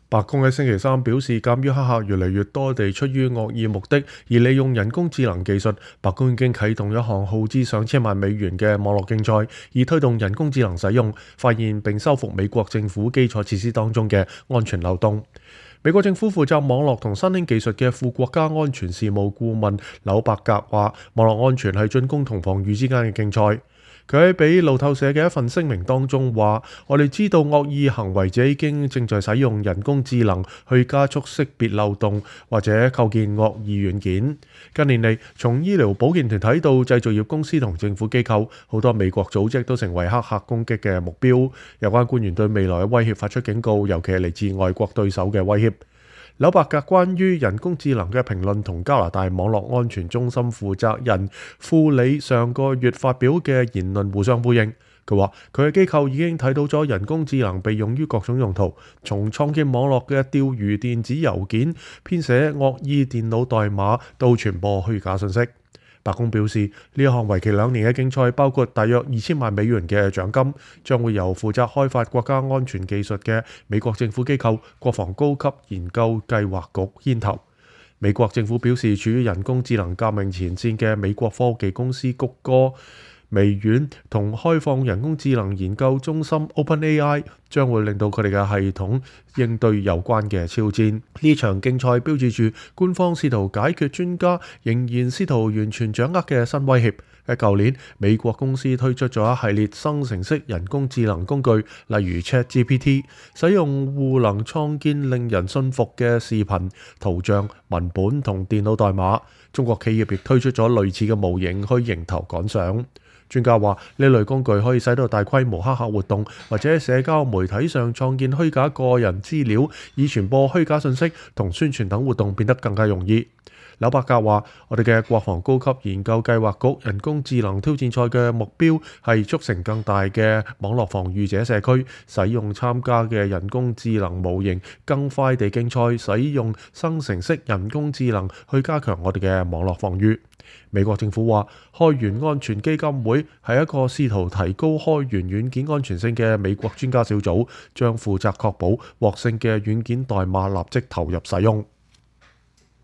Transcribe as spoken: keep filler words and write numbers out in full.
白宮喺星期三表示，鑑於黑客越嚟越多地出於惡意目的而利用人工智能技術，白宮已經啟動一項耗資上千萬美元嘅網絡競賽，以推動人工智能使用，發現並修復美國政府基礎設施當中嘅安全漏洞。美國政府負責網絡同新興技術嘅副國家安全事務顧問紐伯格話，網絡安全係進攻同防禦之間嘅競賽。佢喺俾路透社嘅一份聲明當中話，我哋知道惡意行為者已經正在使用人工智能去加速識別漏洞或者構建惡意軟件。近年嚟，從醫療保健團體到製造業公司同政府機構，好多美國組織都成為黑客攻擊嘅目標。有關官員對未來嘅威脅發出警告，尤其係嚟自外國對手嘅威脅。紐伯格關於人工智能嘅評論同加拿大網絡安全中心負責人庫里上個月發表嘅言論互相呼應。佢話佢嘅機構已經睇到咗人工智能被用於各種用途，從創建網絡嘅釣魚電子郵件、編寫惡意電腦代碼到傳播虛假信息。白宮表示，呢一項為期兩年嘅競賽包括大約二千萬美元嘅獎金，將會由負責開發國家安全技術嘅美國政府機構國防高級研究計劃局牽頭。美國政府表示，處於人工智能革命前線嘅美國科技公司谷歌、微軟同開放人工智能研究中心 OpenAI 將會令到佢哋嘅系統應對有關嘅挑戰。呢場競賽標誌住官方試圖解決專家仍然試圖完全掌握嘅新威脅。喺舊年，美國公司推出咗一系列生成式人工智能工具，例如 ChatGPT， 使用戶能創建令人信服嘅視頻、圖像、文本同電腦代碼。中國企業亦推出咗類似嘅模型去迎頭趕上。專家話，呢類工具可以使到大規模黑客活動或者喺社交媒體上創建虛假個人資料，以傳播虛假信息同宣傳等活動變得更加容易。紐伯格話，我哋嘅國防高級研究計劃局人工智能挑戰賽嘅目標係促成更大嘅網絡防禦者社區，使用參加嘅人工智能模型更快地競賽，使用生成式人工智能去加強我哋嘅網絡防禦。美國政府話，開源安全基金會係一個試圖提高開源軟件安全性嘅美國專家小組，將負責確保獲勝嘅軟件代碼立即投入使用。